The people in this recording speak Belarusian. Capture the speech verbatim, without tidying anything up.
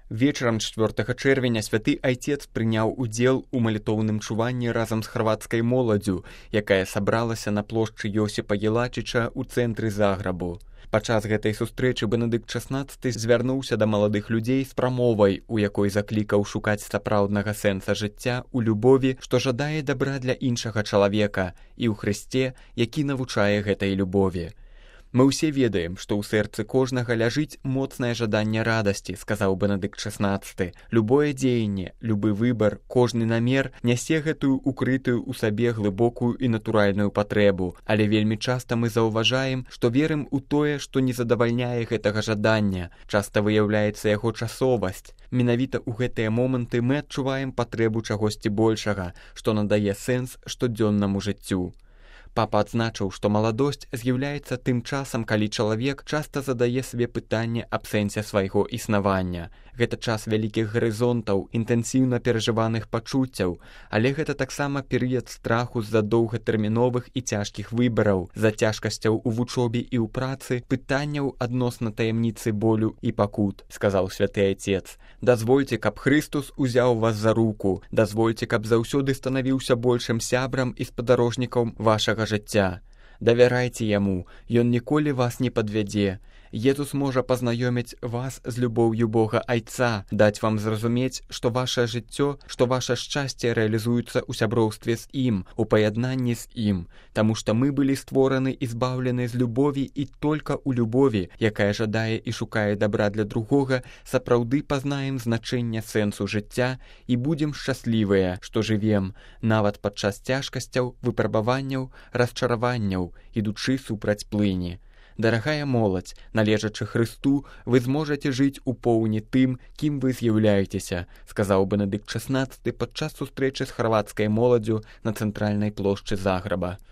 Вечарам чацвёртага чэрвеня святы айцец прыняў удзел у малітоўным чуванні разам з харвацкай моладдзю, якая сабралася на плошчы Йосіпа Елачыча ў цэнтры Заграбу. Падчас гэтай сустрэчы Бенедыкт шаснаццаты звярнуўся да маладых людзей з прамовай, у якой заклікаў шукаць сапраўднага сэнса жыцця ў любові, што жадае дабра для іншага чалавека, і ў Хрысце, які навучае гэтай любові. Мы ўсе ведаем, што ў сэрцы кожнага ляжыць моцнае жаданне радасці, сказаў Бенедыкт шаснаццаты. Любое дзеянне, любы выбар, кожны намер нясе гэтую укрытую ў сабе глыбокую і натуральную патрэбу, але вельмі часта мы заўважаем, што верым у тое, што не задавальняе гэтага жадання. Часта выяўляецца яго часовасць. Менавіта ў гэтыя моманты мы адчуваем патрэбу чагосьці большага, што надае сэнс штодзённаму жыццю. Папа адзначыў, што маладосць з'яўляецца тым часам, калі чалавек часта задае сабе пытанне аб сэнсе свайго існавання. Гэта час вялікіх гарызонтаў, інтэнсіўна перажываных пачуццяў, але гэта таксама перыяд страху з-за доўгатэрміновых і цяжкіх выбараў, з-за цяжкасцяў у вучобе і ў працы, пытанняў адносна таямніцы болю і пакут, сказаў святы айцец. Дазвольце, каб Хрыстус узяў вас за руку, дазвольце, каб заўсёды станавіўся большым сябрам і спадарожнікам вашага жыцця. Давярайце яму, ён ніколі вас не падвядзе. Езус можа пазнаёміць вас з любоўю Бога Айца, даць вам зразумець, што вашае жыццё, што ваша шчасце рэалізуецца ў сяброўстве з ім, у паяднанні з ім, таму што мы былі створаны і збаўлены з любові і толькі ў любові, якая жадае і шукае дабра для другога, сапраўды пазнаем значэнне сэнсу жыцця і будзем шчаслівыя, што жывем, нават падчас цяжкасцяў, выпрабаванняў, расчараванняў, ідучы супраць плыні. Дарагая моладзь, належачы Хрысту, вы зможаце жыць у поўні тым, кім вы з'яўляецеся, сказаў Бенедыкт шаснаццаты падчас сустрэчы з харвацкай моладдзю на цэнтральнай плошчы Заграба.